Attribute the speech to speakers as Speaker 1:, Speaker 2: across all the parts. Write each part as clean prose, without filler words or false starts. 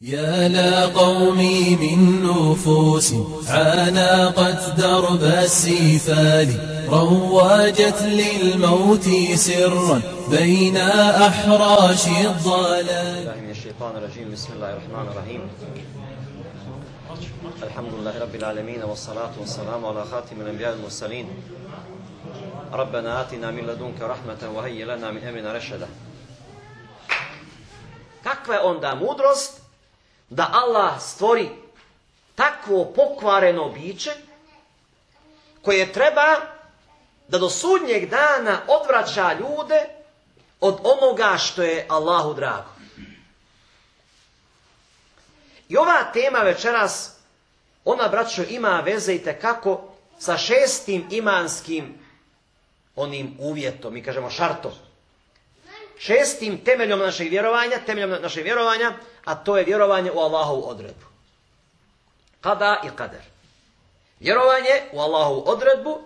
Speaker 1: يا لقومي من نفوس عانقت درب السفال رواجت للموت سرا بين أحراش الضلال.
Speaker 2: من الشيطان الرجيم. بسم الله الرحمن الرحيم. الحمد لله رب العالمين والصلاة والسلام على خاتم الأنبياء والمرسلين. ربنا آتنا من لدنك رحمة وهيئ لنا من أمرنا رشدا. Kakva je onda mudrost da Allah stvori takvo pokvareno biće koje treba da do sudnjeg dana odvraća ljude od onoga što je Allahu drago. I ova tema večeras, ona, braćo, ima veze itekako sa šestim imanskim onim uvjetom, mi kažemo šartom. Šestim temeljom našeg vjerovanja, a to je vjerovanje u Allahovu odredbu. Kada i kader. Vjerovanje u Allahovu odredbu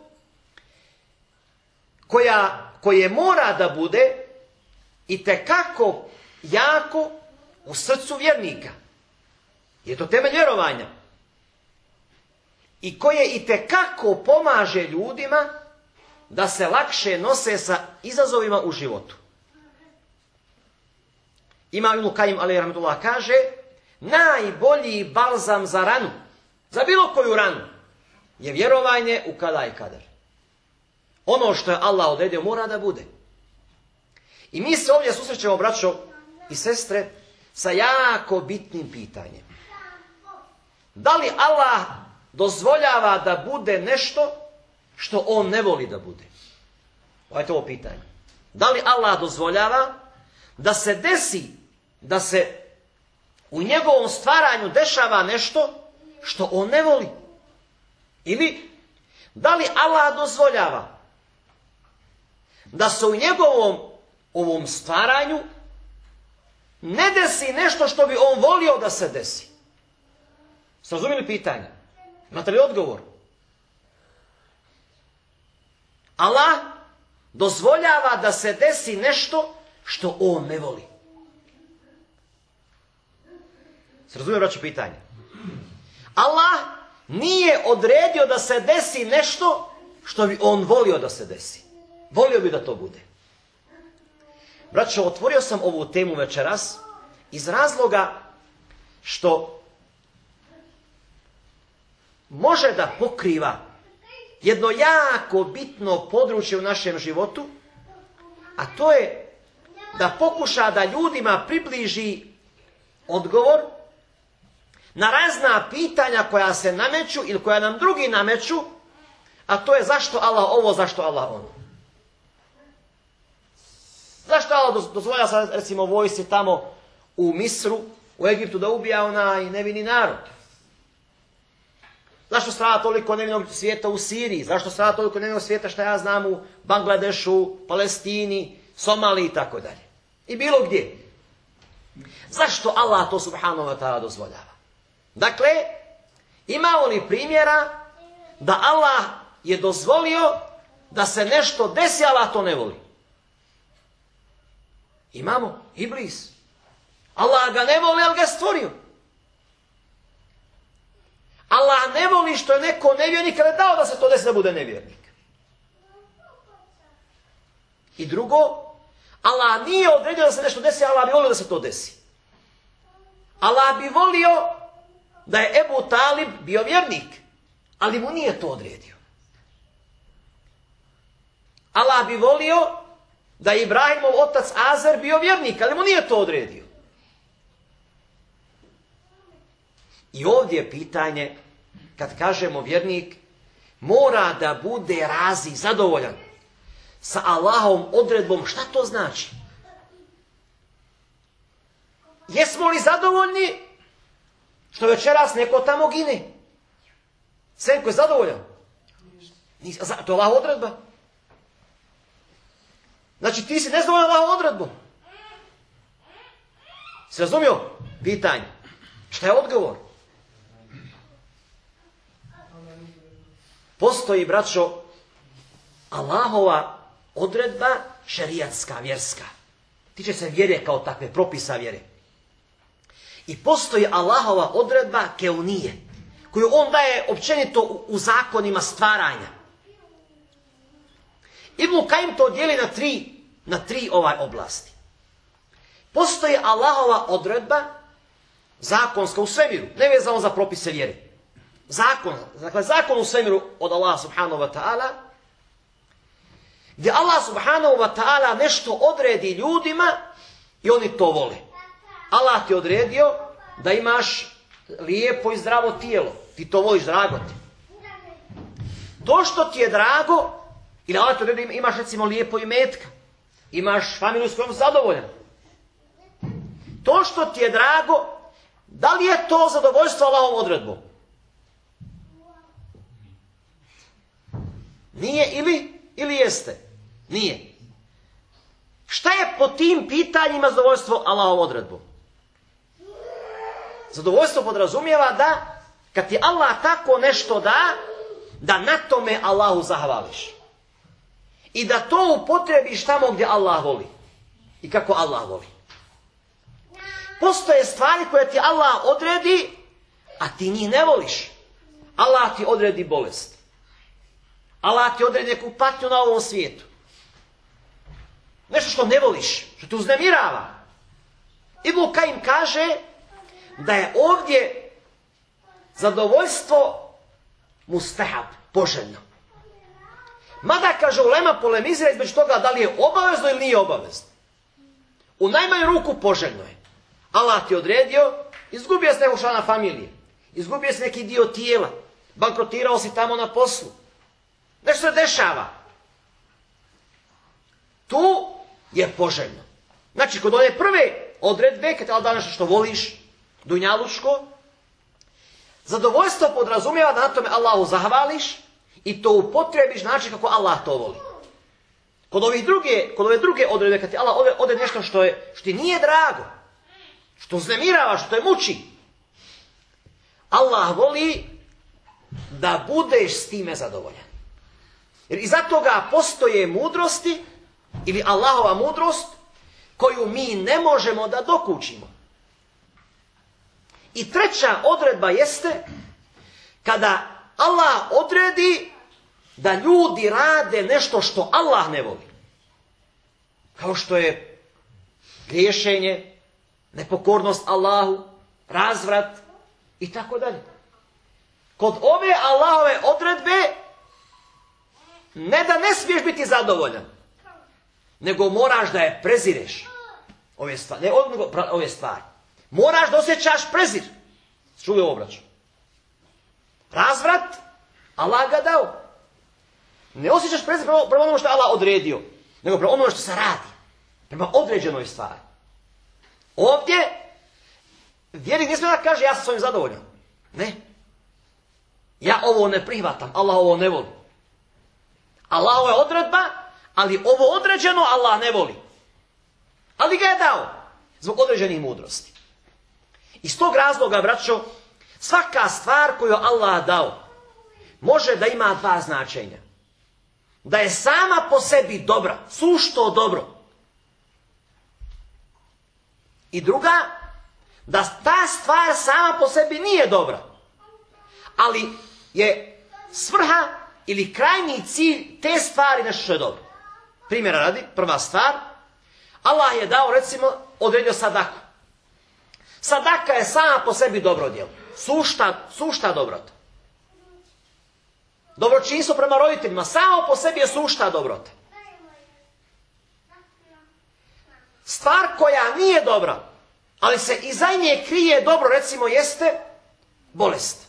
Speaker 2: koje mora da bude itekako jako u srcu vjernika. Je to temelj vjerovanja. I koje itekako pomaže ljudima da se lakše nose sa izazovima u životu. Imam Ibn Kajim alejhi rahmetullah kaže, najbolji balzam za ranu, za bilo koju ranu, je vjerovanje u kada i kader. Ono što je Allah odredio mora da bude. I mi se ovdje susrećemo, braćo i sestre, sa jako bitnim pitanjem. Da li Allah dozvoljava da bude nešto što on ne voli da bude? Ovo je to pitanje. Da li Allah dozvoljava da se desi, da se u njegovom stvaranju dešava nešto što on ne voli? Ili da li Allah dozvoljava da se u njegovom ovom stvaranju ne desi nešto što bi on volio da se desi? Ste razumjeli pitanje? Imate li odgovor? Allah dozvoljava da se desi nešto što on ne voli. Se razumije, braćo, pitanje? Allah nije odredio da se desi nešto što bi on volio da se desi. Volio bi da to bude. Braćo, otvorio sam ovu temu večeras iz razloga što može da pokriva jedno jako bitno područje u našem životu, a to je da pokuša da ljudima približi odgovor na razna pitanja koja se nameću ili koja nam drugi nameću, a to je zašto Allah ovo, zašto Allah ono. Zašto Allah dozvolja sad, recimo, vojsci tamo u Misru, u Egiptu da ubija onaj nevini narod? Zašto strada toliko nevinog svijeta u Siriji? Zašto strada toliko nevinog svijeta, što ja znam, u Bangladešu, Palestini, Somaliji i tako dalje? I bilo gdje. Zašto Allah to subhanahu wa ta'ala dozvoljava? Dakle, imamo li primjera da Allah je dozvolio da se nešto desi, Allah to ne voli? Imamo. Iblis. Allah ga ne voli, ali ga je stvorio. Allah ne voli što je neko nevjernik, ali je dao da se to desi da bude nevjernik. I drugo, Allah nije odredio da se nešto desi, Allah bi volio da se to desi. Allah bi volio da je Ebu Talib bio vjernik, ali mu nije to odredio. Allah bi volio da je Ibrahimov otac Azer bio vjernik, ali mu nije to odredio. I ovdje je pitanje, kad kažemo vjernik, mora da bude razi, zadovoljan sa Allahovom odredbom. Šta to znači? Jesmo li zadovoljni što večeras neko tamo gine? Senko je zadovoljan? To je Allahova odredba. Znači ti si nezadovoljan Allahovom odredbom. Si razumio pitanje? Šta je odgovor? Postoji, braćo, Allahova odredba šerijatska, vjerska. Tiče se vjere kao takve, propisa vjere. I postoji Allahova odredba keunije, koju on daje općenito u zakonima stvaranja. Ibn Kajim to dijeli na tri oblasti. Postoji Allahova odredba zakonska u svemiru, nevezano za propise vjere. Zakon u svemiru od Allaha subhanahu wa ta'ala, gdje Allah subhanahu wa ta'ala nešto odredi ljudima i oni to vole. Allah ti je odredio da imaš lijepo i zdravo tijelo. Ti to voliš, drago ti. To što ti je drago, ili Allah ti odredio da imaš recimo lijepo imetka, imaš familiju s kojom zadovoljan. To što ti je drago, da li je to zadovoljstvo Allahovom odredbom? Nije ili jeste? Nije. Šta je po tim pitanjima zadovoljstvo Allahovom odredbom? Zadovoljstvo podrazumijeva da kad ti Allah tako nešto da na tome Allahu zahvališ. I da to upotrebiš tamo gdje Allah voli. I kako Allah voli. Postoje stvari koje ti Allah odredi, a ti njih ne voliš. Allah ti odredi bolest. Allah ti odredi neku patnju na ovom svijetu. Nešto što ne voliš, što te uznemirava. Ibn Kajim kaže da je ovdje zadovoljstvo mustahab, poželjno. Mada, kaže ulema, polemizira između toga da li je obavezno ili nije obavezno. U najmanju ruku poželjno je. Allah ti odredio, izgubio si nekog člana familije, izgubio si neki dio tijela, bankrotirao si tamo na poslu. Nešto se dešava. Tu je poželjno. Znači, kod one prve odredbe, kad ti da nešto što voliš, dunjalučko, zadovoljstvo podrazumijeva da na tome Allahu zahvališ i to upotrebiš način kako Allah to voli. Kod ove druge odredbe, kad ti Allah odredi nešto što ti nije drago, što uznemirava, što te muči, Allah voli da budeš s time zadovoljan. Jer iza toga postoje mudrosti, ili Allahova mudrost, koju mi ne možemo da dokučimo. I treća odredba jeste kada Allah odredi da ljudi rade nešto što Allah ne voli. Kao što je griješenje, nepokornost Allahu, razvrat i tako dalje. Kod ove Allahove odredbe ne da ne smiješ biti zadovoljan, nego moraš da je prezireš. Ove stvari. Moraš da osjećaš prezir. Čuvaj u obraću. Razvrat, Allah ga dao. Ne osjećaš prezir prema onome što je Allah odredio, nego prema onome što se radi. Prema određenoj stvari. Ovdje, vjernik ne smije da kaže ja sam s ovim zadovoljan. Ne. Ja ovo ne prihvatam, Allah ovo ne voli. Allahova je odredba, ali ovo određeno Allah ne voli. Ali ga je dao zbog određenih mudrosti. Iz tog razloga, braćo, svaka stvar koju Allah dao može da ima dva značenja. Da je sama po sebi dobra, sušto dobro. I druga, da ta stvar sama po sebi nije dobra. Ali je svrha ili krajnji cilj te stvari nešto što je dobro. Primjera radi, prva stvar, Allah je dao, recimo, odredio sadaku. Sadaka je sama po sebi dobro djelo. Sušta dobrota. Dobročinstvo prema roditeljima, samo po sebi je sušta dobrota. Stvar koja nije dobra, ali se iza nje krije dobro, recimo, jeste bolest.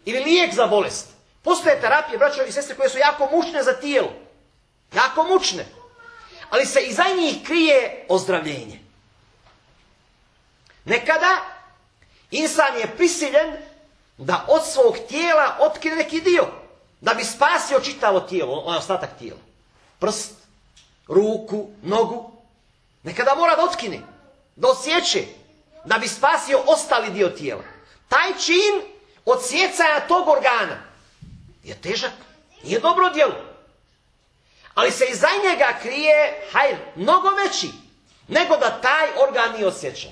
Speaker 2: Ili lijek za bolest. Postoje terapije, braćo i sestre, koje su jako mučne za tijelo. Jako mučne. Ali se iza njih krije ozdravljenje. Nekada insan je prisiljen da od svog tijela otkine neki dio, da bi spasio čitavo tijelo, onaj ostatak tijela. Prst, ruku, nogu. Nekada mora da otkine, da odsjeće, da bi spasio ostali dio tijela. Taj čin odsjecanja tog organa je težak, nije dobro djelo. Ali se iza njega krije hajr, mnogo veći, nego da taj organ nije odsječen.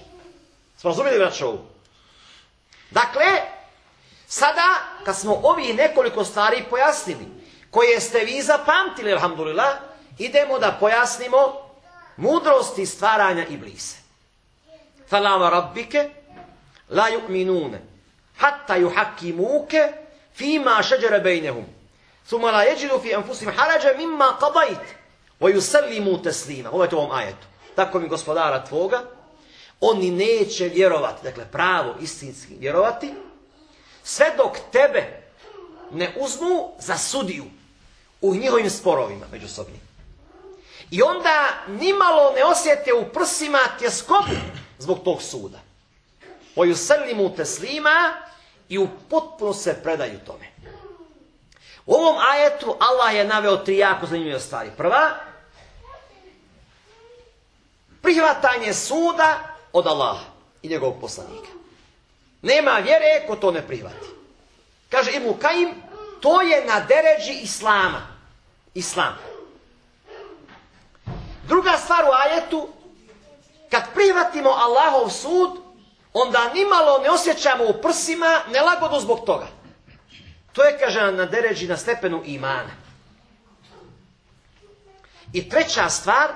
Speaker 2: Smo razumjeli, braćo, ovo? Dakle, sada kad smo ovih nekoliko stvari pojasnili, koje ste vi zapamtili, alhamdulillah, idemo da pojasnimo mudrosti stvaranja Iblisa. Falama rabbike la yu'minune hatta yuhakkimuke fima šeđere bejnehum thumma la yajidu fi anfusihim harajan mimma qadayt wa yusallimu taslima. Ovo je to u ovom ajetu. Tako mi gospodara tvoga, oni neće vjerovati, dakle pravo istinski vjerovati, sve dok tebe ne uzmu za sudiju u njihovim sporovima međusobnim. I onda nimalo ne osjete u prsima tjeskobu zbog tog suda. wa yusallimu taslima, i u potpuno se predaju tome. U ovom ajetu Allah je naveo 3 jako zanimljive stvari. Prva, prihvatanje suda od Allaha i njegovog poslanika. Nema vjere ko to ne prihvati. Kaže Ibn Kajim, to je na deređi Islama. Islam. Druga stvar u ajetu, kad prihvatimo Allahov sud, onda nimalo ne osjećamo u prsima nelagodu zbog toga. To je, kaže, na deređi, na stepenu imana. I treća stvar,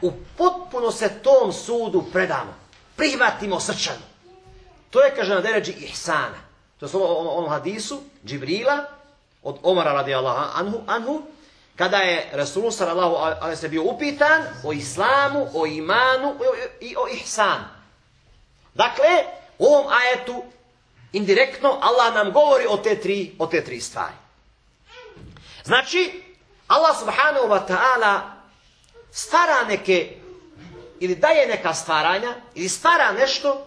Speaker 2: u potpuno se tom sudu predamo. Prihvatimo srčano. To je, kaže, na deređi ihsana. To je onom hadisu Džibrila od Omara radijallahu anhu, kada je Rasul sallallahu alejhi ve bio upitan o islamu, o imanu i o ihsanu. Dakle, u ovom ajetu indirektno Allah nam govori o te tri stvari. Znači, Allah subhanahu wa ta'ala stvara neke, ili daje neka stvaranja, ili stvara nešto,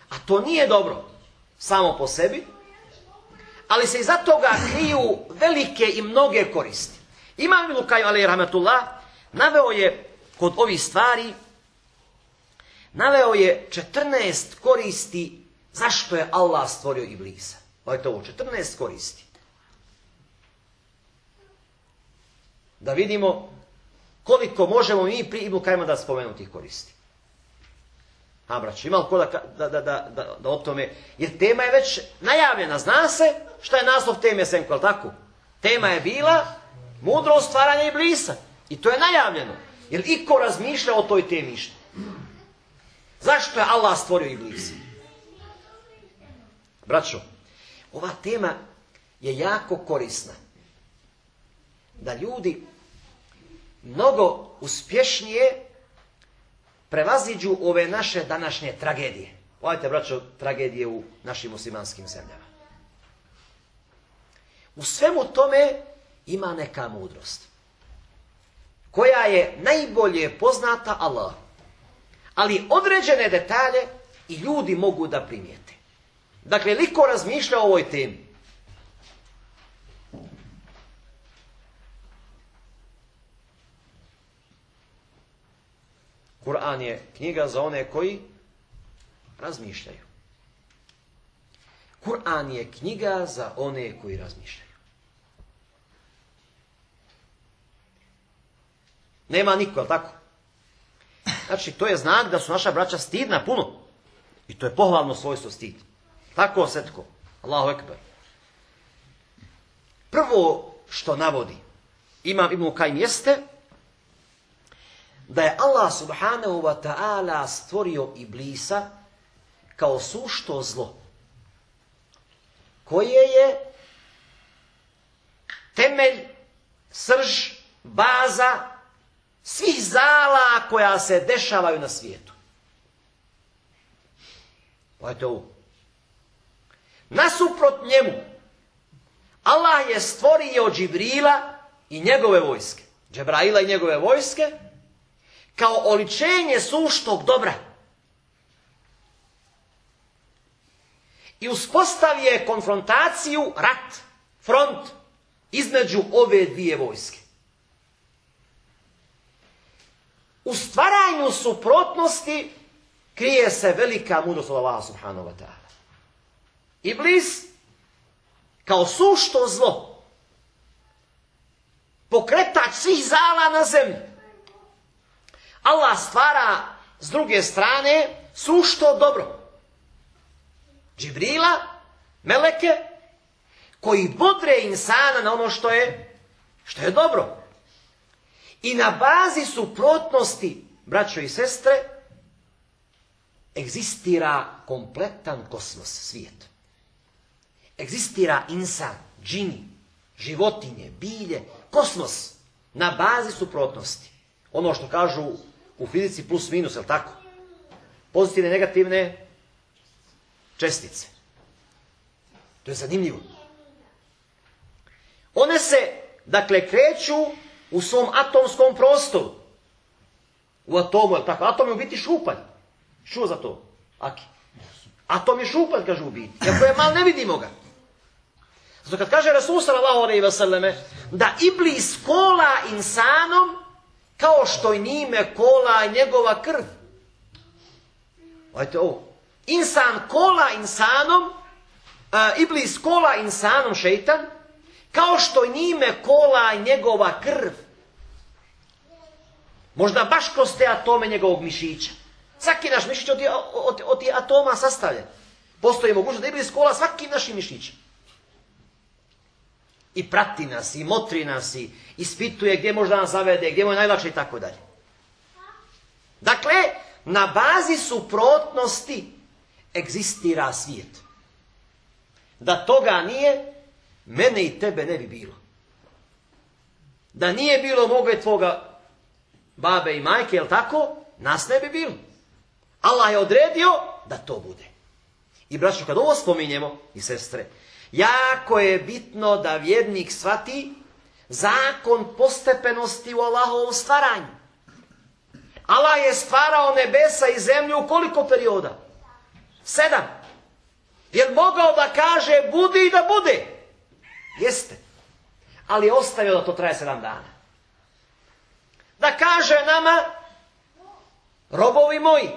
Speaker 2: a to nije dobro samo po sebi, ali se iza toga kriju velike i mnoge koristi. Imam Ibn Kajim alejhi rahmetullah naveo je kod ovih stvari, naveo je 14 koristi zašto je Allah stvorio Iblisa. Ovo je to 14 koristi. Da vidimo koliko možemo mi pri Ibn Kajima da spomenu tih koristi. Braći, ima li ko da o tome, jer tema je već najavljena, zna se šta je naslov teme Senko, ali tako? Tema je bila mudrost stvaranja Iblisa. I to je najavljeno. Jer iko razmišlja o toj temi što? Zašto je Allah stvorio Iblisa? Braćo, ova tema je jako korisna. Da ljudi mnogo uspješnije prevaziđu ove naše današnje tragedije. Pogledajte, braćo, tragedije u našim muslimanskim zemljama. U svemu tome ima neka mudrost, koja je najbolje poznata Allah. Ali određene detalje i ljudi mogu da primijete. Dakle, liko razmišlja o ovoj temi. Kur'an je knjiga za one koji razmišljaju. Kur'an je knjiga za one koji razmišljaju. Nema niko, tako? Znači, to je znak da su naša braća stidna puno. I to je pohvalno svojstvo stid. Tako, setko. Allahu ekber. Prvo što navodi Imam Ibn Kajim jeste da je Allah subhanahu wa ta'ala stvorio Iblisa kao sušto zlo, koje je temelj, srž, baza svih zala koja se dešavaju na svijetu. Pogledajte ovo. Nasuprot njemu, Allah je stvorio Džibrila i njegove vojske. Džebraila i njegove vojske kao oličenje suštog dobra. I uspostavio konfrontaciju, rat, front između ove dvije vojske. U stvaranju suprotnosti krije se velika mudrost od Allaha subhanahu wa ta'ala. Iblis kao sušto zlo, pokretač svih zala na zemlji. Allah stvara s druge strane sušto dobro. Džibrila, meleke, koji bodre insana na ono što je dobro. I na bazi suprotnosti, braćo i sestre, egzistira kompletan kosmos, svijet. Egzistira insan, džini, životinje, bilje, kosmos, na bazi suprotnosti. Ono što kažu u fizici plus minus, je li tako? Pozitivne, negativne čestice. To je zanimljivo. One se, dakle, kreću u svom atomskom prostoru. U atomu, je li tako? Atom je u biti šupalj. Čuo za to? Aki. Atom je šupalj, kaže u biti. Iako je mal, ne vidimo ga. Zato kad kaže Rasul sallallahu alejhi ve selleme da Iblis kola insanom kao što i njime kola njegova krv. Gledajte ovo. Insan kola insanom, Iblis kola insanom, šeitan, kao što i njime kola njegova krv. Možda baš kroz te atome njegovog mišića. Svaki naš mišić od atoma sastavljen. Postoji mogućnost da Iblis kola svaki naši mišić. I prati nas, i motri nas, i ispituje gdje možda nas zavede, gdje mu je najlakše i tako dalje. Dakle, na bazi suprotnosti egzistira svijet. Da toga nije, mene i tebe ne bi bilo. Da nije bilo moga i tvoga babe i majke, jel tako? Nas ne bi bilo. Allah je odredio da to bude. I braćo, kad ovo spominjemo, i sestre, jako je bitno da vjernik shvati zakon postepenosti u Allahovom stvaranju. Allah je stvarao nebesa i zemlju u koliko perioda? 7. Je mogao da kaže budi i da bude? Jeste. Ali je ostavio da to traje 7 dana. Da kaže nama, robovi moji,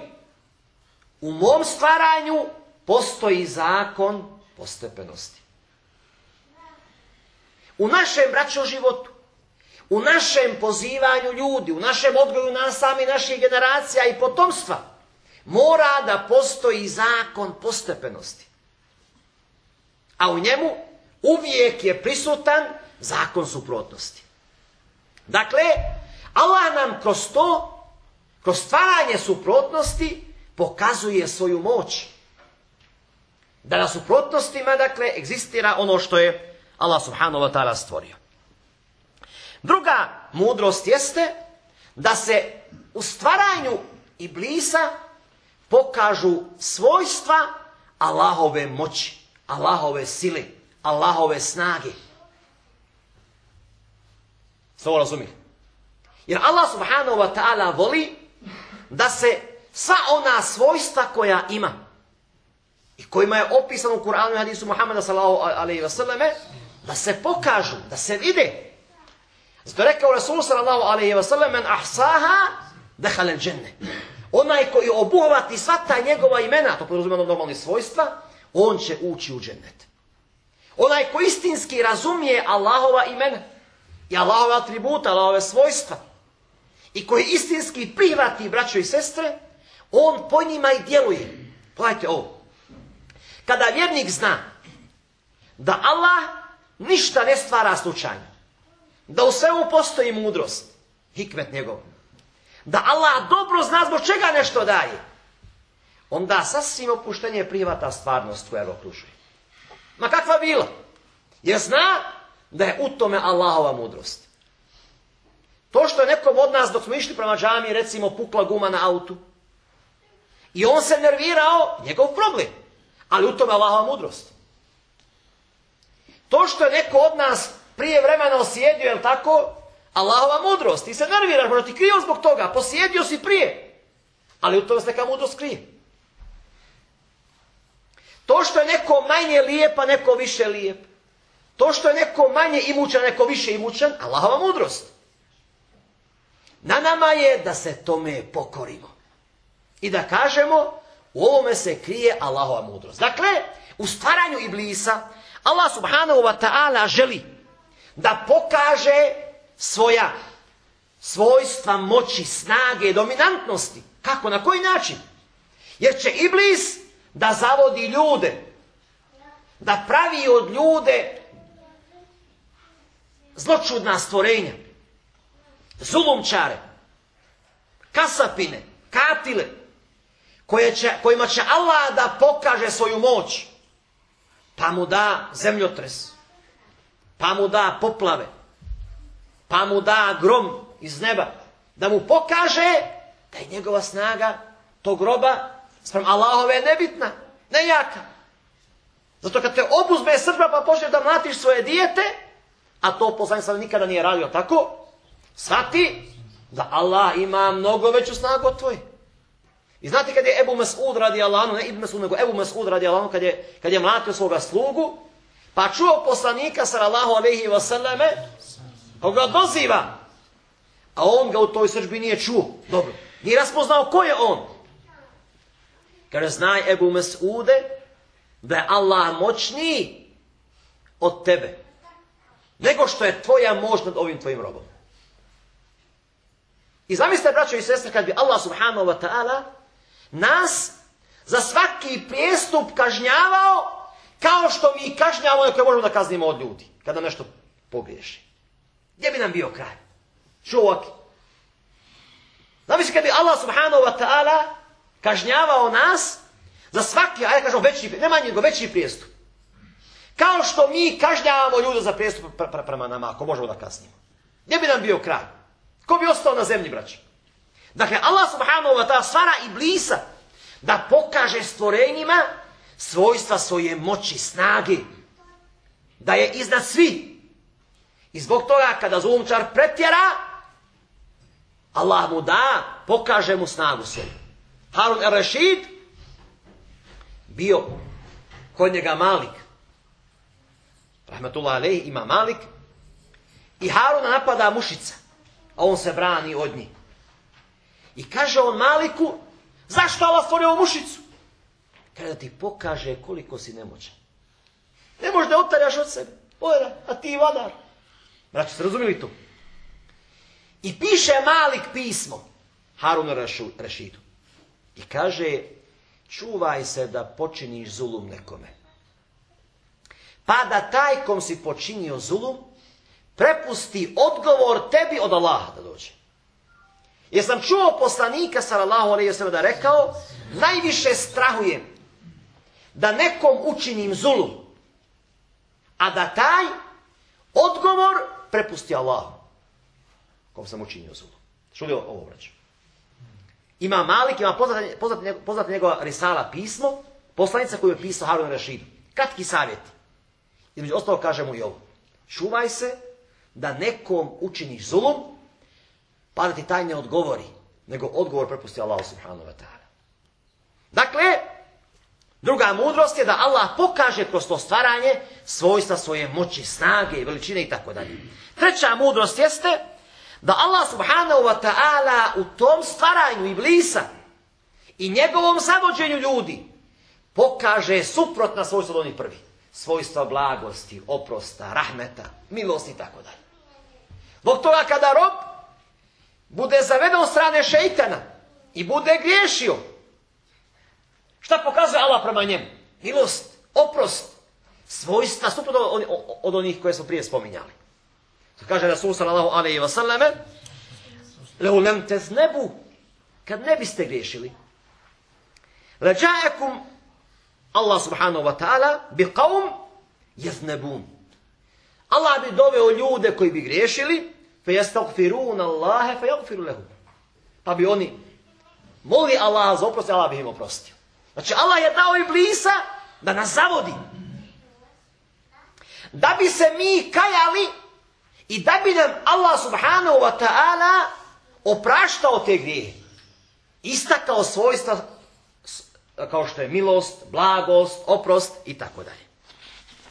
Speaker 2: u mom stvaranju postoji zakon postepenosti. U našem braćo životu, u našem pozivanju ljudi, u našem odgoju nas sami, naših generacija i potomstva, mora da postoji zakon postepenosti. A u njemu uvijek je prisutan zakon suprotnosti. Dakle, Allah nam kroz to, kroz stvaranje suprotnosti, pokazuje svoju moć. Da na suprotnostima, dakle, egzistira ono što je Allah subhanahu wa ta'ala stvorio. Druga mudrost jeste da se u stvaranju Iblisa pokažu svojstva Allahove moći, Allahove sile, Allahove snage. Sve ovo razumije? Jer Allah subhanahu wa ta'ala voli da se sva ona svojstva koja ima i kojima je opisano u Kur'anu i hadisu Muhammeda sallallahu alejhi ve selleme, da se pokažu, da se vide. Zato je rekao Rasul sallallahu alejhi ve sellem, men ahsaha dakhala al-dženne. Onaj koji obuhvati sva ta njegova imena, to podrazumijeva normalne svojstva, on će ući u džennet. Onaj koji istinski razumije Allahova imena i Allahove atributa, Allahove svojstva, i koji istinski prihvati, braćo i sestre, on po njima i djeluje. Pogledajte ovo. Kada vjernik zna da Allah ništa ne stvara slučajno, da u svemu postoji mudrost, hikmet njegov, da Allah dobro zna zbog čega nešto daje, onda sasvim opuštenje prihvata stvarnost koja ga okružuje. Ma kakva bila? Jer zna da je u tome Allahova mudrost. To što je nekom od nas dok smo išli prema džamiji, recimo pukla guma na autu, i on se nervirao, njegov problem, ali u tome Allahova mudrost. To što je neko od nas prije vremena osjedio, je li tako? Allahova mudrost. Ti se nerviraš, možda ti krivo zbog toga. Posjedio si prije. Ali u tome se neka mudrost krije. To što je neko manje lijep, a neko više lijep. To što je neko manje imućan, a neko više imućan, Allahova mudrost. Na nama je da se tome pokorimo. I da kažemo, u ovome se krije Allahova mudrost. Dakle, u stvaranju Iblisa, Allah subhanahu wa ta'ala želi da pokaže svoja svojstva moći, snage, dominantnosti. Kako? Na koji način? Jer će Iblis da zavodi ljude da pravi od ljude zločudna stvorenja, zulumčare, kasapine, katile, kojima će Allah da pokaže svoju moć, pa mu da zemljotres, pa mu da poplave, pa mu da grom iz neba, da mu pokaže da je njegova snaga tog groba sprem Allahove nebitna, nejaka. Zato kad te obuzme srdba pa počneš da mlatiš svoje dijete, a to poslanik sam nikada nije radio tako, shvati da Allah ima mnogo veću snagu od tvoje. I znate kad je Ebu Mes'ud radijallahu anhu, ne Ibn Mes'ud, nego Ebu Mes'ud radijallahu anhu, kad je mlatio svoga slugu, pa čuo poslanika sallallahu alejhi ve selleme, koga doziva, a on ga u toj srdbi nije čuo. Dobro, nije raspoznao ko je on. Kaže, znaj Ebu Mes'ude, da je Allah moćniji od tebe, nego što je tvoja moć nad ovim tvojim robom. I zamislite, braćo i sestre, kad bi Allah subhanahu wa ta'ala nas za svaki prijestup kažnjavao kao što mi kažnjavamo koje možemo da kaznimo od ljudi kada nešto pogriješi. Gdje bi nam bio kraj? Čovjek. Zamislite, kad bi Allah subhanahu wa ta'ala kažnjavao nas za svaki, ajde kažemo, ne manji nego veći prijestup. Kao što mi kažnjavamo ljude za prijestup prema nama, ako možemo da kaznimo. Gdje bi nam bio kraj? Ko bi ostao na zemlji, braći? Dakle, Allah subhanahu wa ta'ala stvara Iblisa da pokaže stvorenjima svojstva svoje moći, snage. Da je iznad svi. I zbog toga kada zulumčar pretjera, Allah mu da, pokaže mu snagu svoju. Harun el-Rešid bio kod njega Malik. Rahmetullah alejhi, ima Malik. I Haruna napada mušica, a on se brani od njih. I kaže on Maliku, zašto Allah stvorio ovu mušicu? Kaže da ti pokaže koliko si nemoćan. Ne možeš da otarjaš od sebe. Ojera, a ti vladar. Braći, ste razumili to? I piše Malik pismo Harunu Rešidu. I kaže, čuvaj se da počiniš zulum nekome. Pa da taj kom si počinio zulum, prepusti odgovor tebi od Allaha da dođe. Jer sam čuo poslanika sallallahu alejhi ve sellem da rekao, najviše strahujem da nekom učinim zulum, a da taj odgovor prepusti Allahu kom sam učinio zulum. Čuli ovo, braćo? Ima Malik, ima poznat njegova risala pismo, poslanica koju je pisao Harun Rešidu. Kratki savjeti. Između ostalo kaže mu i ovo. Čuvaj se da nekom učiniš zulum, pa da ti taj ne odgovori, nego odgovor prepusti Allahu subhanahu wa ta'ala. Dakle, druga mudrost je da Allah pokaže kroz to stvaranje svojstva svoje moći, snage, veličine i tako dalje. Treća mudrost jeste da Allah subhanahu wa ta'ala u tom stvaranju Iblisa i njegovom zavođenju ljudi pokaže suprotna svojstva od onih prvih. Svojstva blagosti, oprosta, rahmeta, milosti i tako dalje. Zbog toga kada rob bude zaveden od strane šejtana i bude griješio, šta pokazuje Allah prema njemu? Milost, oprost, svojstva suprotno od onih koje smo prije spominjali. Kaže Rasul sallallahu alejhi ve selleme, "Lau lam taznebu", kad ne biste griješili, "Laja'akum Allah subhanahu wa ta'ala bi qawm yaznabun." Allah bi doveo ljude koji bi griješili, fe yastaghfirun Allah fe yaghfiru lahum. Pa bi oni molili Allah za oprost, Allah bi im oprostio. Znači Allah je dao Iblisa da nas zavodi. Da bi se mi kajali i da bi nam Allah subhanahu wa ta'ala opraštao te grijehe. Istakao svojstva kao što je milost, blagost, oprost i tako dalje.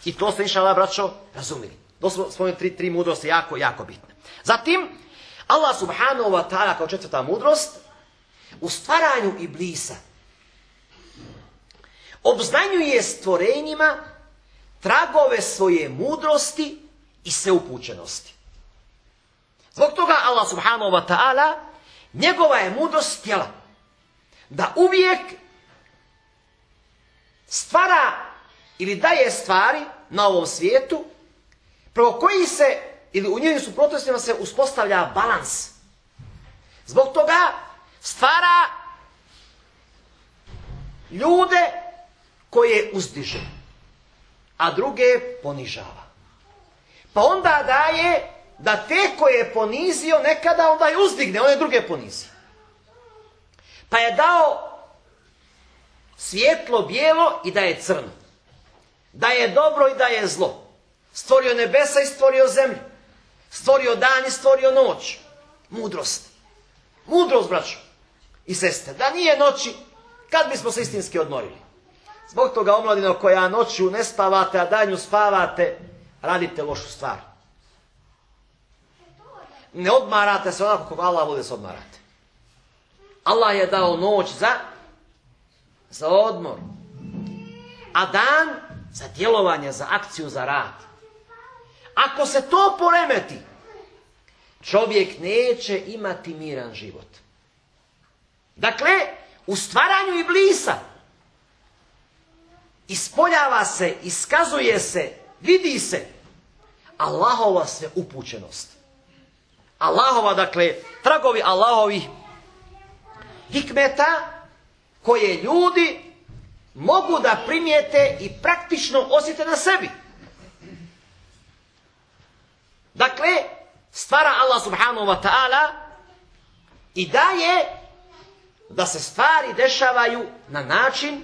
Speaker 2: I to ste, inšallah, braćo, razumili. To su svoje tri mudrosti jako, jako bitne. Zatim, Allah subhanahu wa ta'ala kao četvrta mudrost, u stvaranju Iblisa obznanjuje stvorenjima tragove svoje mudrosti i sveupućenosti. Zbog toga Allah subhanahu wa ta'ala, njegova je mudrost htjela da uvijek stvara ili daje stvari na ovom svijetu, preko koji se, ili u njenim suprotnostima se uspostavlja balans. Zbog toga stvara ljude koje uzdiže, a druge ponižava. Pa onda daje da te koje je ponizio nekada onda je uzdigne, one druge ponizio. Pa je dao svjetlo bijelo i da je crno. Da je dobro i da je zlo. Stvorio nebesa i stvorio zemlju. Stvorio dan i stvorio noć. Mudrost. Mudrost, braćo i sestre. Da nije noći, kad bismo se istinski odmorili? Zbog toga, omladino, koja noću ne spavate, a danju spavate, radite lošu stvar. Ne odmarate se onako kako Allah voli se odmarate. Allah je dao noć za odmor, a dan za djelovanje, za akciju, za rad. Ako se to poremeti, čovjek neće imati miran život. Dakle, u stvaranju iblisa ispoljava se, iskazuje se, vidi se Allahova sve upućenost. Allahova, dakle, tragovi Allahovih hikmeta koje ljudi mogu da primijete i praktično osjete na sebi. Dakle, stvara Allah subhanahu wa ta'ala i daje da se stvari dešavaju na način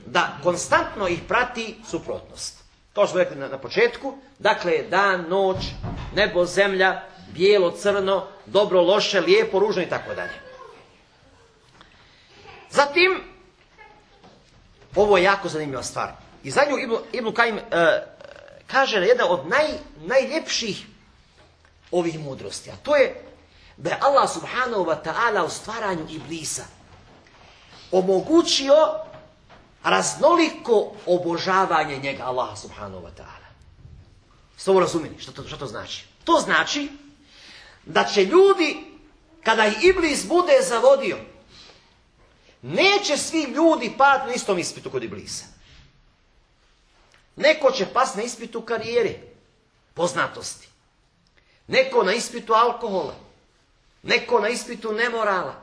Speaker 2: da konstantno ih prati suprotnost. Kao što smo rekli na početku, dakle, dan, noć, nebo, zemlja, bijelo, crno, dobro, loše, lijepo, ružno i tako dalje. Zatim, ovo je jako zanimljiva stvar. I za nju Ibn Kajim kaže jedna od najljepših ovih mudrosti, a to je da je Allah subhanahu wa ta'ala u stvaranju iblisa omogućio raznoliko obožavanje njega, Allaha subhanahu wa ta'ala. Ste ovo razumjeli? Što to znači? To znači da će ljudi, kada ih iblis bude zavodio, neće svi ljudi pati na istom ispitu kod iblisa. Neko će pasti na ispitu karijere, poznatosti. Neko na ispitu alkohola. Neko na ispitu nemorala.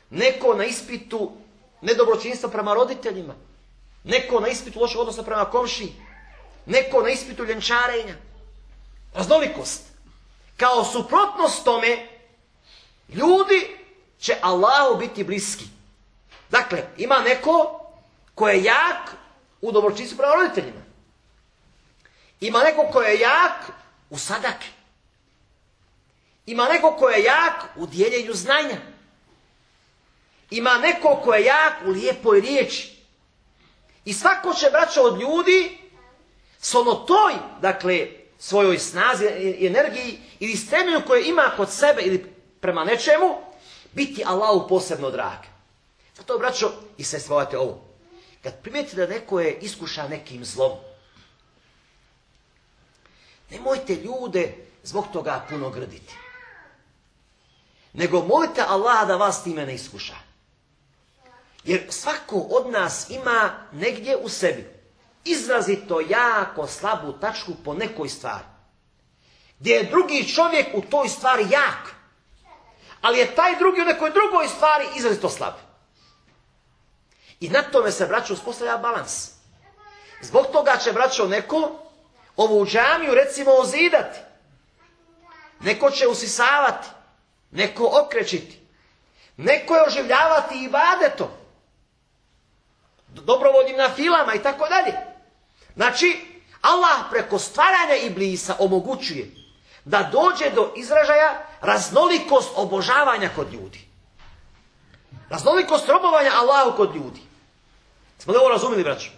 Speaker 2: Neko na ispitu nedobročinstva prema roditeljima. Neko na ispitu lošeg odnosa prema komšiji. Neko na ispitu ljenčarenja. Raznolikost. Kao suprotnost tome, ljudi će Allahu biti bliski. Dakle, ima neko ko je jak u dobročinstvu prema roditeljima. Ima neko ko je jak u sadaki. Ima neko ko je jak u dijeljenju znanja. Ima neko ko je jak u lijepoj riječi. I svako će, braćo, od ljudi s ono toj, dakle, svojoj snazi i energiji ili stremljenju koje ima kod sebe ili prema nečemu, biti Allahu posebno drag. Zato, braćo i sestre, ovate ovo. Kad primijetite da neko je iskušan nekim zlom, nemojte ljude zbog toga puno grditi. Nego molite Allaha da vas time ne iskuša. Jer svako od nas ima negdje u sebi izrazito jako slabu tačku po nekoj stvari. Gdje je drugi čovjek u toj stvari jak. Ali je taj drugi u nekoj drugoj stvari izrazito slab. I na tome se, braćo, uspostavlja balans. Zbog toga će, braćo, neko ovu džamiju, recimo, ozidati. Neko će usisavati. Neko okrećiti. Neko je oživljavati ibadetom. Dobrovoljnim nafilama i tako dalje. Znači, Allah preko stvaranja iblisa omogućuje da dođe do izražaja raznolikost obožavanja kod ljudi. Raznolikost robovanja Allahu kod ljudi. Smo li ovo razumjeli, braćo?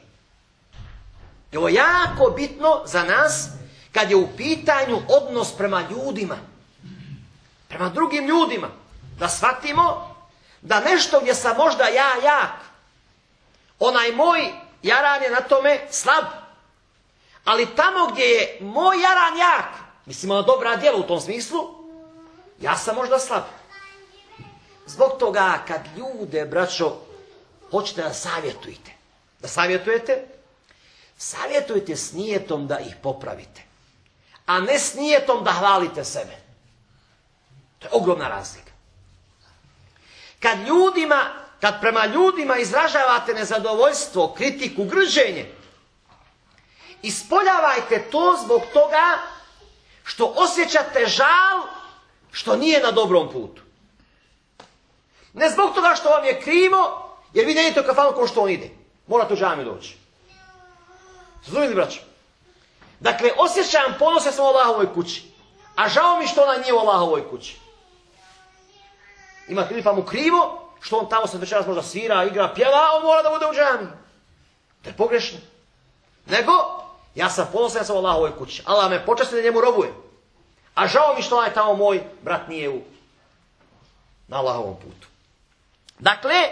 Speaker 2: I ovo je jako bitno za nas kad je u pitanju odnos prema ljudima. Prema drugim ljudima. Da shvatimo da nešto gdje sam možda ja jak, onaj moj jaran je na tome slab. Ali tamo gdje je moj jaran jak, mislimo na dobra djela u tom smislu, ja sam možda slab. Zbog toga kad ljude, braćo, hoćete da savjetujete, savjetujte s nijetom da ih popravite, a ne s nijetom da hvalite sebe. To je ogromna razlika. Kad prema ljudima izražavate nezadovoljstvo, kritiku, grđenje, ispoljavajte to zbog toga što osjećate žal što nije na dobrom putu. Ne zbog toga što vam je krivo, jer vi ne idete u kafanu kao što on ide. Morate u džamiju doći. Razumijete, braćo? Dakle, osjećam ponos, ja sam u Allahovoj kući. A žao mi što ona nije u Allahovoj kući. Ima krivo, pa mu krivo, što on tamo se večeras možda svira, igra, pjeva, a on mora da bude u džamiji. To je pogrešno. Nego, ja sam ponosan, ja sam u Allahovoj kući. Allah me počasti da njemu robujem. A žao mi što onaj tamo moj brat nije na Allahovom putu. Dakle,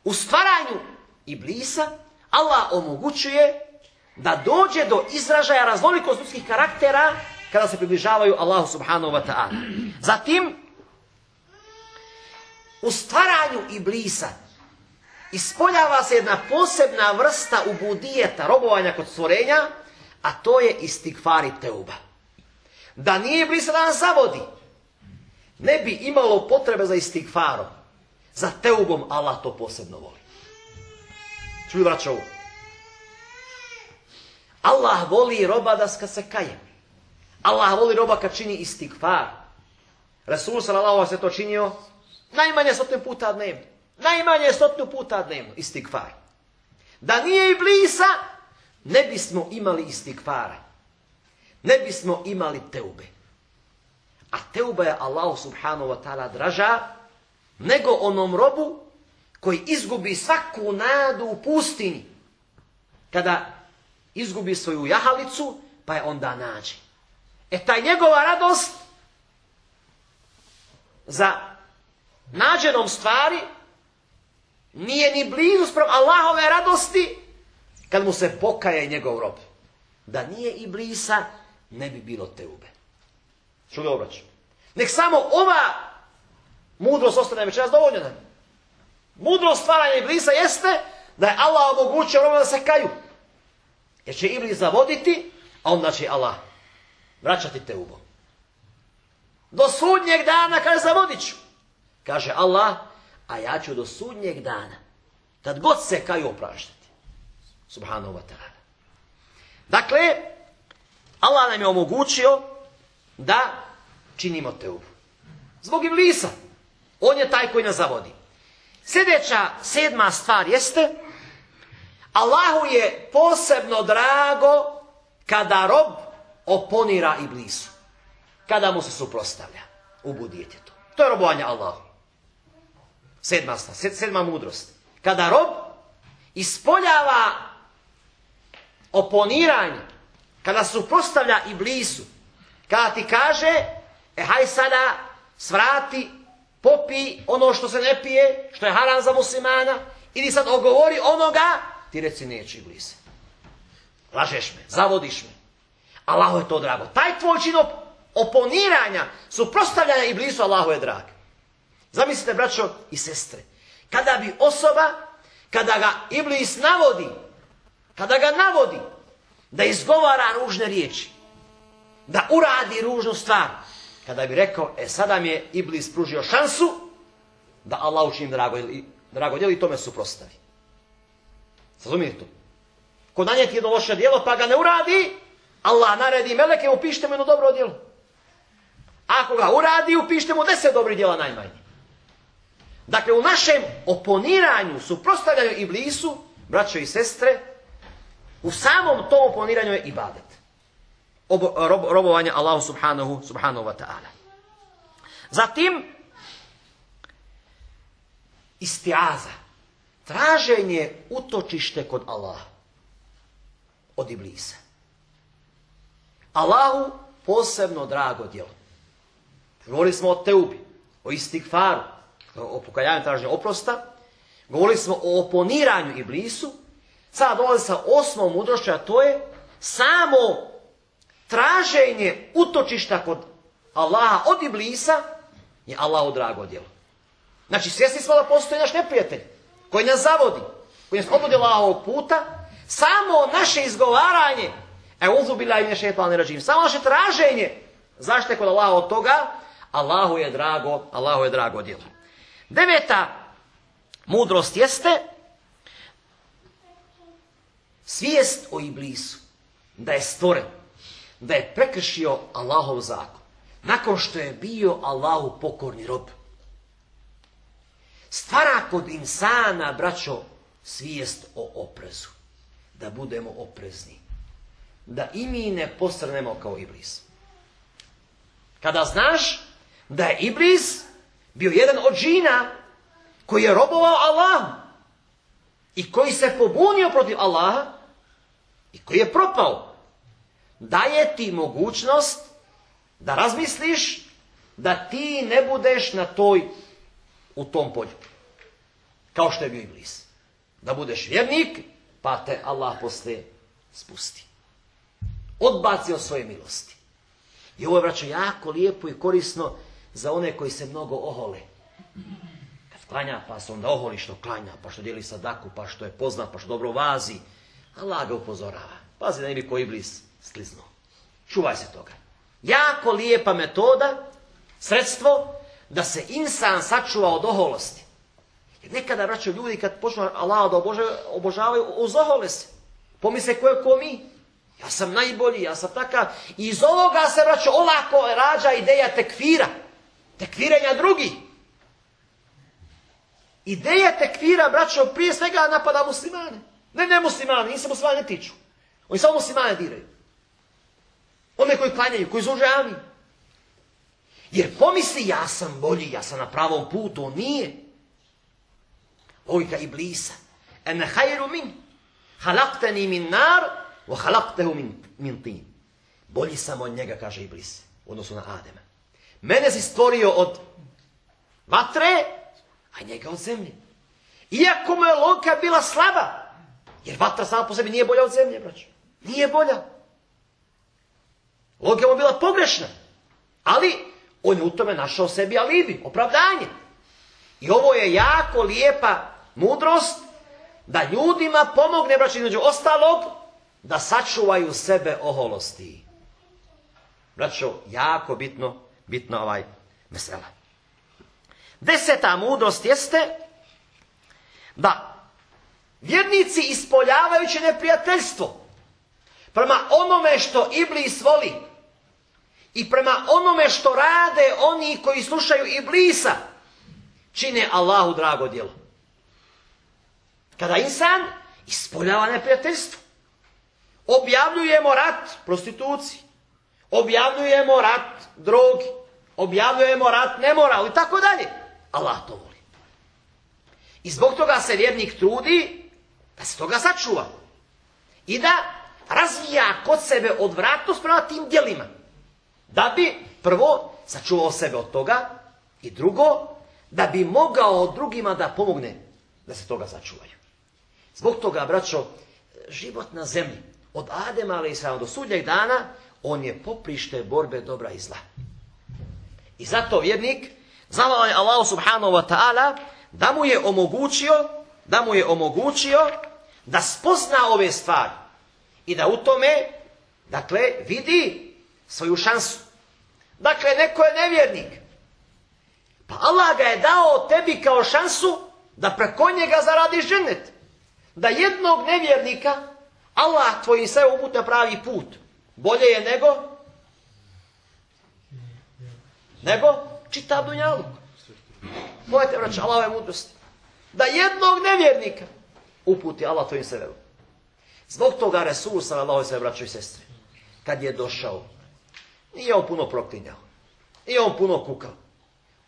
Speaker 2: u stvaranju Iblisa Allah omogućuje da dođe do izražaja raznolikosti ljudskih karaktera kada se približavaju Allahu subhanahu wa ta'ala. Zatim, u stvaranju Iblisa ispoljava se jedna posebna vrsta ubudijeta, robovanja kod stvorenja, a to je istigfar i teuba. Da nije Iblisa da nas zavodi, ne bi imalo potrebe za istigfarom. Za teubom Allah to posebno voli. Čuj, braćo, ovo. Allah voli roba da se kaje. Allah voli roba kad čini istigfar. Rasul sallallahu alejhi ve sellem to činio najmanje 100 puta dnevno. Najmanje 100 puta dnevno istigfar. Da nije Iblisa, ne bismo imali istigfara. Ne bismo imali teube. A teuba je Allahu subhanahu wa ta'ala draža nego onom robu koji izgubi svaku nadu u pustinji. Kada izgubi svoju jahalicu, pa je onda nađe. Ta njegova radost za nađenom stvari nije ni blizu sprem Allahove radosti kad mu se pokaje njegov rob. Da nije Iblisa, ne bi bilo teube. Čuli obraću? Nek samo ova mudrost ostane večeras dovoljna nam. Mudrost stvaranja Iblisa jeste da je Allah omogućio robima da se kaju. Jer će Iblis zavoditi, a onda će Allah vraćati teubom. Do sudnjeg dana, kaže, zavodit ću. Kaže Allah, a ja ću do sudnjeg dana, kad god se kaju, opraštati. Subhanahu wa ta'ala. Dakle, Allah nam je omogućio da činimo teubu. Zbog Iblisa. On je taj koji nas zavodi. Sljedeća, 7. stvar jeste, Allahu je posebno drago kada rob oponira Iblisu. Kada mu se suprotstavlja. Ubudijete to. To je robovanje Allahu. 7. stvar, 7. mudrost. Kada rob ispoljava oponiranje, kada se suprotstavlja Iblisu, kada ti kaže, haj sada svrati, popi ono što se ne pije, što je haram za muslimana, ili sad ogovori onoga, ti reci neću, Iblise. Lažeš me, zavodiš me. Allahu je to drago. Taj tvoj čin oponiranja, suprotstavljanja Iblisu, Allahu je drag. Zamislite, braćo i sestre, kada bi osoba, kada ga Iblis navodi, da izgovara ružne riječi, da uradi ružnu stvar, kada bi rekao, sada mi je Iblis pružio šansu da Allah učinim drago djelo i tome suprotstavi. Razumijete to? Ko nanijeti jedno loše djelo pa ga ne uradi, Allah naredi meleke, upišite mu jedno dobro djelo. Ako ga uradi, upišite mu 10 dobrih djela najmanje. Dakle, u našem oponiranju, suprotstavljanju Iblisu, braćo i sestre, u samom tom oponiranju je ibadet. Robovanje Allahu subhanahu wa ta'ala. Zatim, istiaza. Traženje utočište kod Allaha. Od Iblisa. Allahu posebno drago djelo. Govorili smo o teubi, o istigfaru, o pokajanju, traženju oprosta. Govorili smo o oponiranju Iblisu. Sada dolazi sa 8. mudrošću, a to je samo traženje utočišta kod Allaha od Iblisa je Allahu drago djelo. Znači, svjesni smo da postoji naš neprijatelj koji nas zavodi, koji nas odvodi Allahovog puta. Samo naše izgovaranje, e'udhu billahi minash šejtanir racim, samo naše traženje zaštite kod Allaha od toga, Allahu je drago djelo. 9. mudrost jeste svijest o Iblisu, da je stvoren, da je prekršio Allahov zakon, nakon što je bio Allahu pokorni rob. Stvara kod insana, braćo, svijest o oprezu. Da budemo oprezni. Da i mi ne posrnemo kao Iblis. Kada znaš da je Iblis bio jedan od džina koji je robovao Allahu i koji se pobunio protiv Allaha i koji je propao, daje ti mogućnost da razmisliš da ti ne budeš u tom polju. Kao što je bio Iblis. Da budeš vjernik, pa te Allah poslije spusti. Odbaci od svoje milosti. I ovo je, braćo, jako lijepo i korisno za one koji se mnogo ohole. Kad klanja, pa se onda oholi što klanja, pa što dijeli sadaku, pa što je poznat, pa što dobro vazi. Allah ga upozorava. Pazi da ne bi ko Iblis skliznuo. Čuvaj se toga. Jako lijepa metoda, sredstvo, da se insan sačuva od oholosti. Jer nekada, braćo, ljudi kad počnu Allah da obožavaju, uzohole se. Pomisle ko je ko mi. Ja sam najbolji, ja sam takav. I iz ovoga se, braćo, olako rađa ideja tekfira. Tekfirenja drugih. Ideja tekfira, braćo, prije svega napada muslimane. Ne muslimane, njih se muslimane ne tiču. Oni samo muslimane diraju. One koji klanjaju, koji zužavaju. Jer pomisli, ja sam bolji, ja sam na pravom putu, on nije. Logika Iblisa. Ene hajru min, halakteni min nar, wa halaktehu min tin. Bolji sam od njega, kaže Iblis, u odnosu na Adema. Mene si stvorio od vatre, a njega od zemlje. Iako mu je logika bila slaba, jer vatra sama po sebi nije bolja od zemlje, braćo. Nije bolja. Logika mu je bila pogrešna. Ali on je u tome našao sebi alibi, opravdanje. I ovo je jako lijepa mudrost da ljudima pomogne, braćo, između ostalog, da sačuvaju sebe oholosti. Braćo, jako bitno mesela. 10. mudrost jeste da vjernici ispoljavajući neprijateljstvo prema onome što Iblis voli i prema onome što rade oni koji slušaju Iblisa, čine Allahu drago djelo. Kada insan ispoljava neprijateljstvo, objavljujemo rat prostituciji, objavljujemo rat drogi, objavljujemo rat nemoral i tako dalje. Allah to voli. I zbog toga se vjernik trudi da se toga sačuva i da razvija kod sebe odvratnost prema tim djelima. Da bi prvo sačuvao sebe od toga i drugo, da bi mogao drugima da pomogne da se toga sačuvaju. Zbog toga, braćo, život na zemlji od Adema a.s. do sudnjeg dana, on je poprište borbe dobra i zla. I zato vjernik zahvalan je Allahu subhanahu wa ta'ala da mu je omogućio da spozna ove stvari i da u tome, dakle, vidi svoju šansu. Dakle, neko je nevjernik. Pa Allah ga je dao tebi kao šansu da preko njega zaradiš džennet. Da jednog nevjernika Allah tvojim sve uput na pravi put. Bolje je nego čitav dunjaluk. Pogledajte, braćo, Allahove mudrosti. Da jednog nevjernika uputi Allah tvojim sebebom. Zbog toga Resul sallallahu alejhi ve sellem, braćo i sestre, kad je došao, nije on puno proklinjao, nije on puno kukao,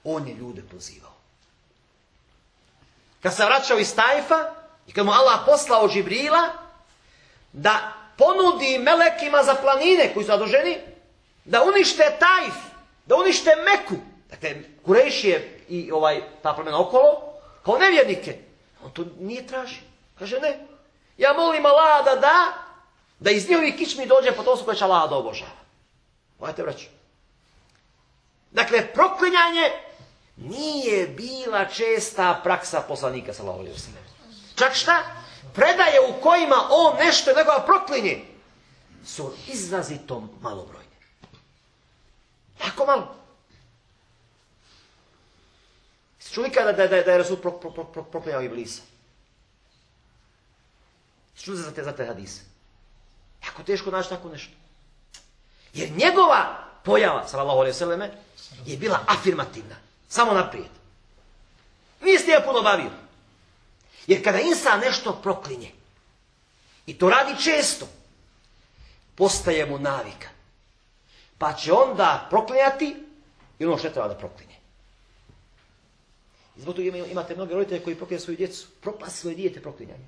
Speaker 2: on je ljude pozivao. Kad se vraćao iz Tajfa i kad mu Allah poslao Džibrila da ponudi melekima za planine koji su zaduženi da unište Tajf, da unište Meku, dakle Kurejšije i ta plemena okolo, kao nevjernike, on to nije traži. Kaže ne, ja molim Allah da iz njihovih kičmi dođe potomstvo koje će Allah da obožava. Pogledajte, braćo. Dakle, proklinjanje nije bila česta praksa poslanika sallallahu alejhi ve sellem. Čak šta? predaje u kojima on nešto nekoga proklinje su izrazito malobrojne. Jako malo. Čuli kada da je Rasul proklinjao Iblisa? Čuli za te hadise? Jako teško naći tako nešto. Jer njegova pojava, sallallahu alejhi ve selleme, je bila afirmativna. Samo naprijed. Nije s njega puno bavio. Jer kada insan nešto proklinje, i to radi često, postaje mu navika. Pa će onda proklinjati i ono što treba da proklinje. I zbog toga imate mnoge roditelje koji proklinjaju svoju djecu. Propasti svoje dijete proklinjanje.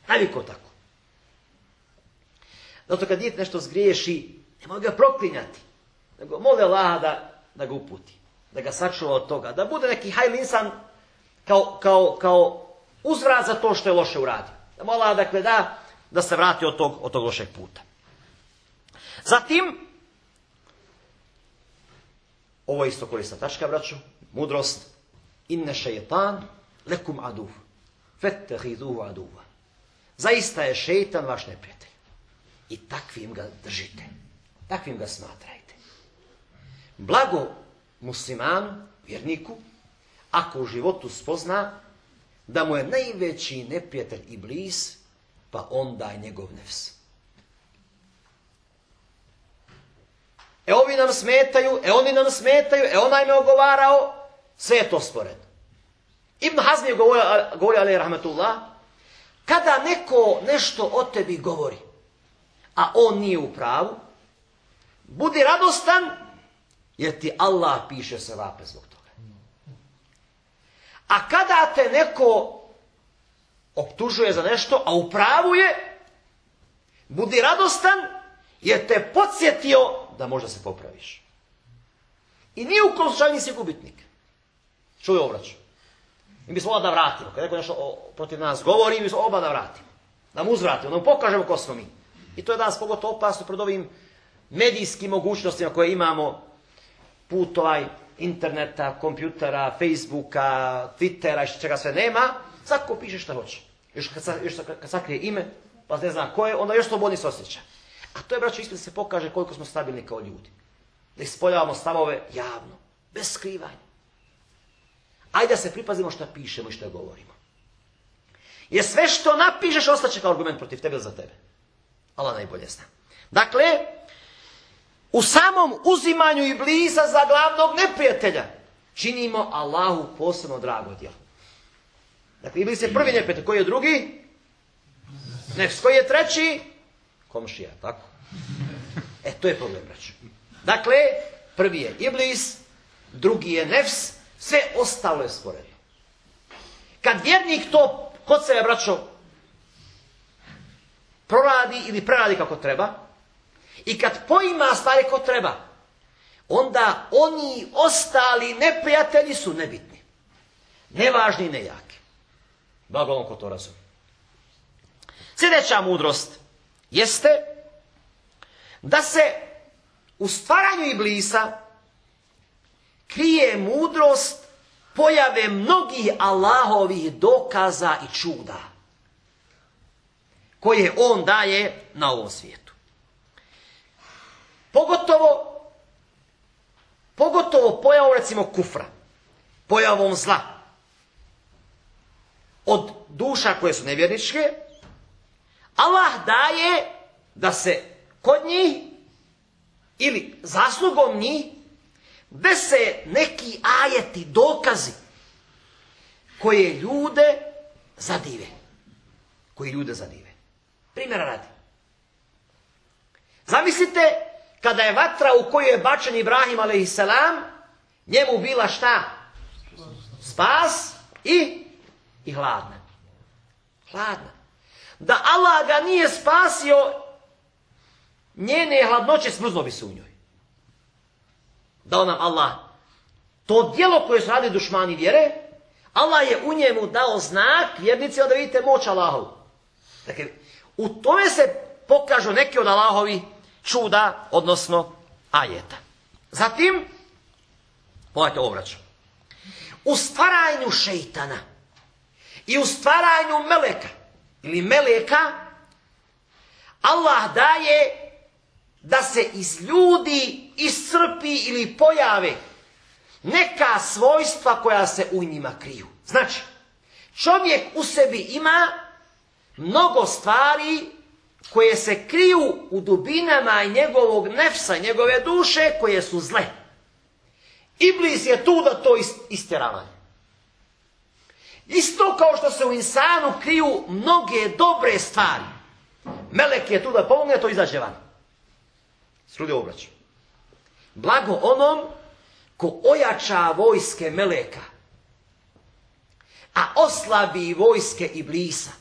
Speaker 2: Naviko tako. Zato kad dijete nešto zgriješi, nemoj ga proklinjati. Nego moli Allaha da ga uputi. Da ga sačuva od toga. Da bude neki hajl insan kao uzvrat za to što je loše uradio. Da moli Allaha da se vrati od tog lošeg puta. Zatim, ovo je isto korisna tačka, braćo, mudrost. Inne šeitan lekum aduv. Fettehiduhu aduva. Zaista je šeitan vaš neprijatelj. I takvim ga držite. Takvim ga smatrajte. Blago muslimanu, vjerniku, ako u životu spozna da mu je najveći neprijatelj Iblis, pa onda je njegov nefs. Ovi nam smetaju, oni nam smetaju, onaj me ogovarao, sve je to sporedno. Ibn Hazm je govorio, alejhi rahmetullah, kada neko nešto o tebi govori, a on nije u pravu, budi radostan, jer ti Allah piše sevape zbog toga. A kada te neko optužuje za nešto, a u pravu je, budi radostan, jer te podsjetio da možda se popraviš. I nije u kom slučaju nisi gubitnik. Čuj obraću. Mi bismo oba da vratimo. Kad neko nešto protiv nas govori, mi bismo oba da vratimo. Da mu uzvratimo, da mu pokažemo ko smo mi. I to je danas pogotovo opasno pred ovim medijskim mogućnostima koje imamo, put interneta, kompjutera, Facebooka, Twittera i čega sve nema. Svako piše šta hoće. Još kad sakrije ime, pa ne zna ko je, onda još slobodnije se osjeća. A to je, braćo, ispred se pokaže koliko smo stabilni kao ljudi. Da ispoljavamo stavove javno, bez skrivanja. Ajde da se pripazimo šta pišemo i šta govorimo. Jer sve što napišeš ostaće kao argument protiv tebe ili za tebe. Allah najbolje zna. Dakle, u samom uzimanju Iblisa za glavnog neprijatelja činimo Allahu posebno drago djelo. Dakle, Iblis je prvi neprijatelj. Koji je drugi? Nefs. Koji je treći? Komšija, tako? To je problem, braćo. Dakle, prvi je Iblis, drugi je nefs, sve ostalo je sporedno. Kad vjernik to kod sebe, braćo, proradi ili preradi kako treba, i kad poima stvari kako treba, onda oni ostali neprijatelji su nebitni. Nevažni i nejaki. Blago on ko to razumije. Sljedeća mudrost jeste da se u stvaranju Iblisa krije mudrost pojave mnogih Allahovih dokaza i čuda koje on daje na ovom svijetu. Pogotovo pojavom, recimo, kufra, pojavom zla, od duša koje su nevjerničke, Allah daje da se kod njih ili zaslugom njih dese neki ajeti, dokazi koje ljude zadive. Primjera radi. Zamislite kada je vatra u koju je bačen Ibrahim a.s. njemu bila šta? Spas i hladna. Da Allah ga nije spasio, njene hladnoće smrzlo bi se u njoj. Dao nam Allah to djelo koje su radili dušmani vjere, Allah je u njemu dao znak vjernicima da vidite moć Allahovu. Dakle, u tome se pokažu neki od Allahovi čuda, odnosno ajeta. Zatim, pogledajte obraću. U stvaranju šeitana i u stvaranju meleka ili meleka, Allah daje da se iz ljudi iscrpi ili pojave neka svojstva koja se u njima kriju. Znači, čovjek u sebi ima mnogo stvari koje se kriju u dubinama njegovog nefsa, njegove duše, koje su zle. Iblis je tu da to istjerava. Isto kao što se u insanu kriju mnoge dobre stvari. Melek je tu da pomogne, to izađe van. Srudi obraću. Blago onom ko ojača vojske meleka, a oslabi vojske Iblisa,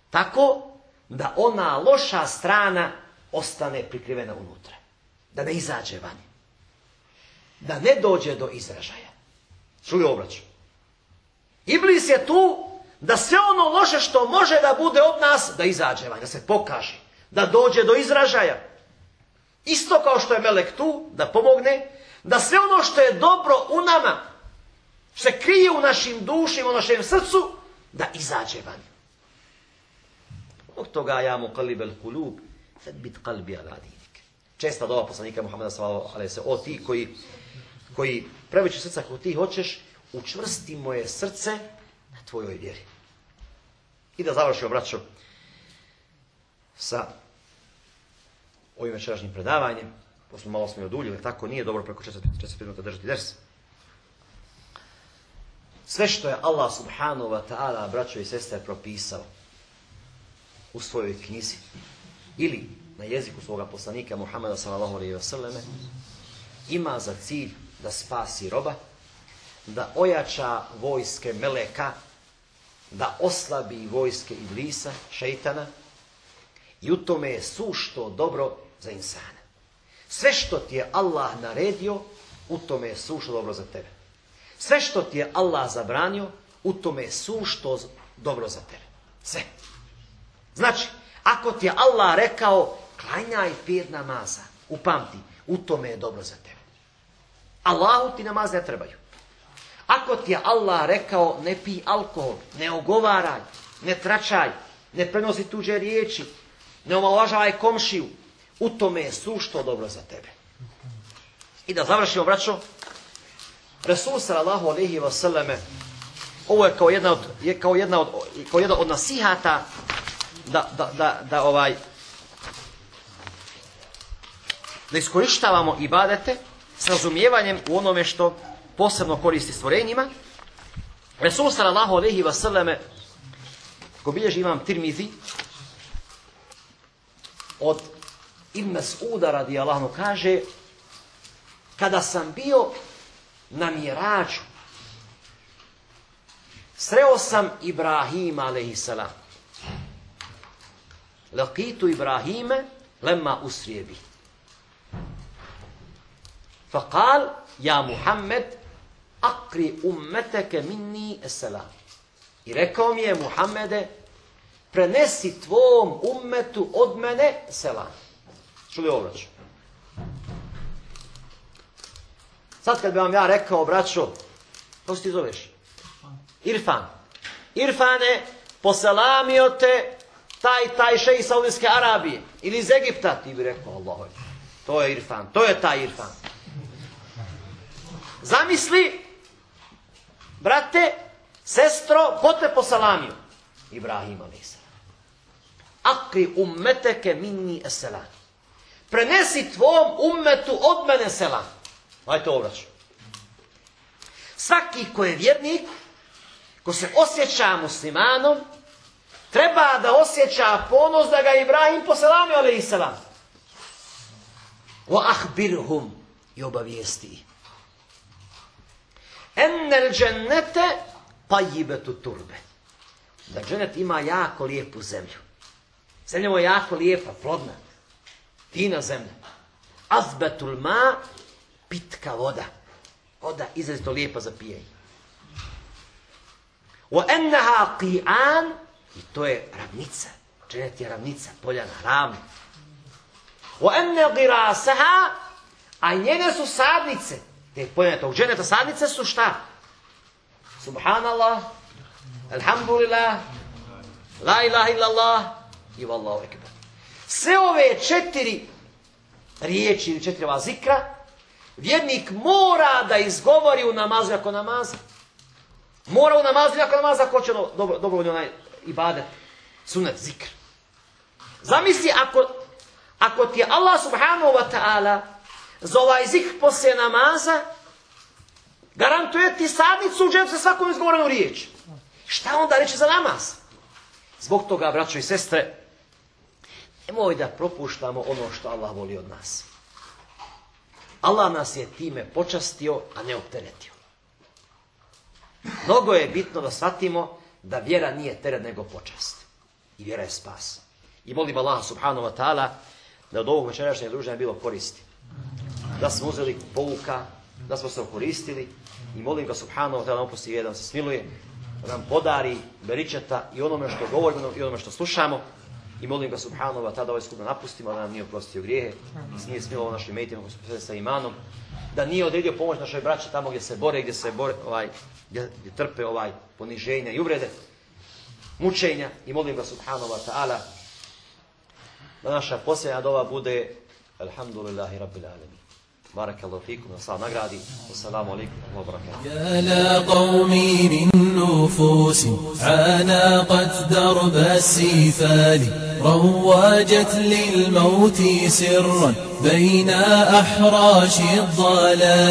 Speaker 2: tako da ona loša strana ostane prikrivena unutra. Da ne izađe van. Da ne dođe do izražaja. Srudi obraću. Iblis je tu da sve ono loše što može da bude od nas, da izađe van, da se pokaže, da dođe do izražaja. Isto kao što je melek tu, da pomogne, da sve ono što je dobro u nama, se krije u našim dušima, u našem srcu, da izađe van. Od toga ja mu kalibel kulub, bit kalbi ala dinik. Česta dova poslanika Muhameda sallallahu alejhi ve sellem, o ti koji preveći srca kako ti hoćeš, učvrsti moje srce na tvojoj vjeri. I da završimo, braćo, sa ovim večerašnjim predavanjem. Malo smo i oduljili, tako nije dobro preko 40 minuta držati ders. Sve što je Allah subhanahu wa ta'ala, braćo i sestre, propisao u svojoj knjizi ili na jeziku svoga poslanika Muhameda sallallahu alejhi ve selleme, ima za cilj da spasi roba, da ojača vojske meleka, da oslabi vojske Iblisa, šejtana, i u tome je sušto dobro za insana. Sve što ti je Allah naredio, u tome je sušto dobro za tebe. Sve što ti je Allah zabranio, u tome je sušto dobro za tebe. Sve. Znači, ako ti je Allah rekao, klanjaj 5 namaza, upamti, u tome je dobro za tebe. Allahu ti namaz ne trebaju. Ako ti je Allah rekao, ne pij alkohol, ne ogovaraj, ne tračaj, ne prenosi tuđe riječi, ne omalovažavaj komšiju, u tome je sušto dobro za tebe. I da završimo, braćo, Resul sallallahu alejhi ve selleme, ovo je kao jedna od nasihata da iskorištavamo ibadete s razumijevanjem u onome što posebno koristi stvorenjima. Resul sallallahu alejhi ve selleme, ko bilježi imam Tirmizi, od Ibn Mas'uda radijallahu anhu kaže, kada sam bio na Mirađu, sreo sam Ibrahima alejhiselam. Laqitu Ibrahime lemma usrije bi. Faqal, ja Muhammed, akri ummeteke minni esselam. I rekao mi je, Muhammede, prenesi tvom ummetu od mene selam. Čuli ovo, braćo? Sad kad bi vam ja rekao, braćo, kako se ti zoveš? Irfan. Irfane, poselamio te taj šejh iz Saudijske Arabije ili iz Egipta, ti bi rekao, Allaho, to je Irfan, to je taj Irfan. Zamisli, brate, sestro, ko te poselamio? Ibrahim a.s. Akri ummeteke minni esselam. Prenesi tvom ummetu od mene selam. Ajde to obraću. Svaki ko je vjernik, ko se osjeća muslimanom, treba da osjeća ponos da ga Ibrahim poselamio alejhiselam. Wa ahbirhum, i obavijesti. Ennel džennete tajibetu turbe. Da džennet ima jako lijepu zemlju. Zemlja mu je jako lijepa, plodna. Fina zemlja. Azbetul ma, pitka voda. Voda izrazito lijepa za pijenje. Wa enneha qi'an, i to je ravnica. Džennet je ravnica, poljana, ravna. Wa enne girasaha, a njene su sadnice. Te poljane tog dženeta sadnice su šta? Subhanallah, alhamdulillah, La ilaha illallah i vallahu ekber. Sve ove 4 riječi ili 4 ova zikra vjernik mora da izgovori u namazu ako namaza. Mora u namazu ako namaza ako će dobrovoljno onaj ibadet, sunet, zikr. Zamisli ako ti je Allah subhanahu wa ta'ala za ovaj zikr poslije namaza garantuje ti sadnicu u džennetu sa svakom izgovorenom riječi. Šta onda reći za namaz? Zbog toga, braćo i sestre, nemoj da propuštamo ono što Allah voli od nas. Allah nas je time počastio, a ne opteretio. Mnogo je bitno da shvatimo da vjera nije teret nego počast. I vjera je spas. I molim Allah subhanahu wa ta'ala da od ovog večerašnjeg druženja bilo koristi. Da smo uzeli pouka, da smo se okoristili i molim ga subhanahu wa ta'ala da opusti vjeru, da se smiluje, da nam podari beričeta i onome što govorimo i onome što slušamo. I molim ga subhanahu wa ta'ala da ovaj skup napustimo, da nam nije oprostio grijehe, da nije smilovao našim mejtima koji su posvetili sa imanom, da nije odredio pomoć našoj braći tamo gdje se bore, gdje trpe poniženja i uvrede, mučenja. I molim ga subhanahu wa ta'ala da naša posljednja dova bude alhamdulillahi rabbil alamin. Barakallahu fikum, da Allah nagradi. Assalamu alaikum wa barakatuh.
Speaker 1: يا لا قومي من نفوس عانقت درب السفال رواجت للموت سرا بين أحراش الضلال